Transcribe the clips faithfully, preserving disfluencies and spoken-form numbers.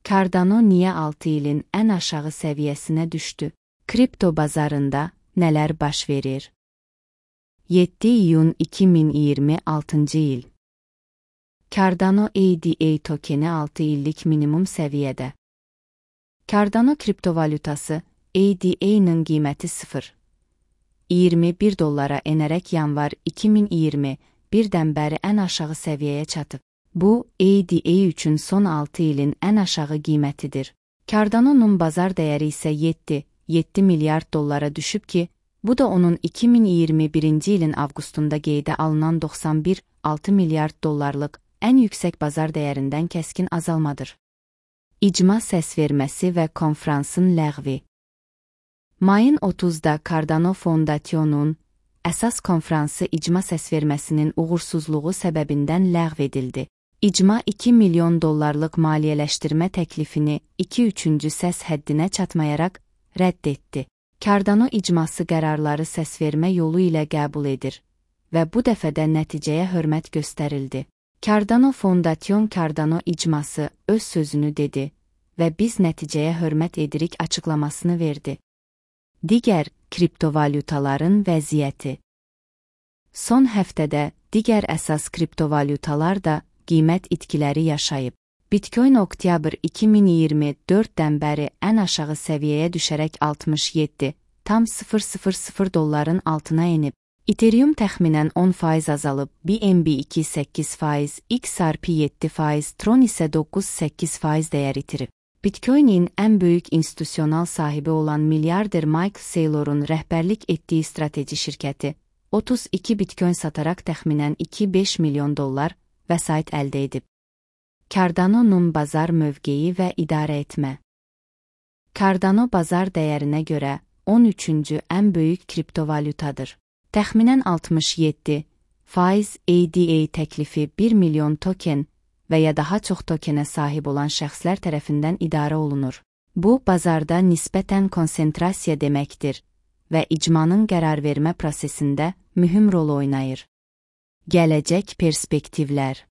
Cardano niyə altı ilin ən aşağı səviyyəsinə düşdü? Kripto bazarında nələr baş verir? yeddi iyun iki min iyirmi altıncı il. Cardano A D A tokeni altı illik minimum səviyyədə. Cardano kriptovalyutası A D A'nın qiyməti sıfır nöqtə iyirmi bir dollara enərək yanvar iki min iyirmi birdən bəri ən aşağı səviyyəyə çatıb. Bu, A D A üçün son altı ilin ən aşağı qiymətidir. Cardano'nun bazar dəyəri isə yeddi nöqtə yeddi milyard dollara düşüb ki, bu da onun iki min iyirmi birinci ilin avqustunda qeydə alınan doxsan bir nöqtə altı milyard dollarlıq ən yüksək bazar dəyərindən kəskin azalmadır. İcma səsverməsi və konfransın ləğvi. Mayın otuzda Cardano Fondation'un əsas konfransı icma səsverməsinin uğursuzluğu səbəbindən ləğv edildi. İcma iki milyon dollarlıq maliyyələşdirmə təklifini iki üçüncü səs həddinə çatmayaraq rədd etdi. Cardano icması qərarları səsvermə yolu ilə qəbul edir və bu dəfə də nəticəyə hörmət göstərildi. Cardano Fondation Cardano icması öz sözünü dedi və biz nəticəyə hörmət edirik açıqlamasını verdi. Digər kriptovalyutaların vəziyyəti. Son həftədə digər əsas kriptovalyutalar da qiymət itkiləri yaşayıb. Bitcoin oktyabr iki min iyirmi dörddən bəri ən aşağı səviyyəyə düşərək altmış yeddi tam sıfır nöqtə sıfır sıfır dolların altına enib. Ethereum təxminən on faiz azalıb, B N B iki səkkiz faiz, X R P yeddi faiz, Tron isə doqquz səkkiz faiz dəyər itirib. Bitcoin'in ən böyük institusional sahibi olan milyarder Michael Saylor'un rəhbərlik etdiyi strateji şirkəti otuz iki Bitcoin sataraq təxminən iki beş milyon dollar vəsait əldə edib. Cardano'nun bazar mövqeyi və idarə etmə. Cardano bazar dəyərinə görə on üçüncü ən böyük kriptovalyutadır. Təxminən altmış yeddi faiz A D A təklifi bir milyon token və ya daha çox tokenə sahib olan şəxslər tərəfindən idarə olunur. Bu, bazarda nisbətən konsentrasiya deməkdir və icmanın qərar vermə prosesində mühüm rol oynayır. Gələcək perspektivlər.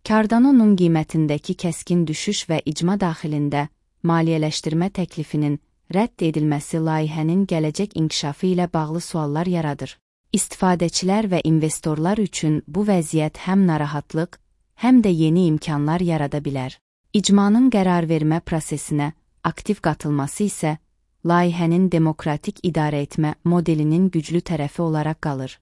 Cardano'nun qiymətindəki kəskin düşüş və icma daxilində maliyyələşdirmə təklifinin rədd edilməsi layihənin gələcək inkişafı ilə bağlı suallar yaradır. İstifadəçilər və investorlar üçün bu vəziyyət həm narahatlıq, həm də yeni imkanlar yarada bilər. İcmanın qərar vermə prosesinə aktiv qatılması isə layihənin demokratik idarə etmə modelinin güclü tərəfi olaraq qalır.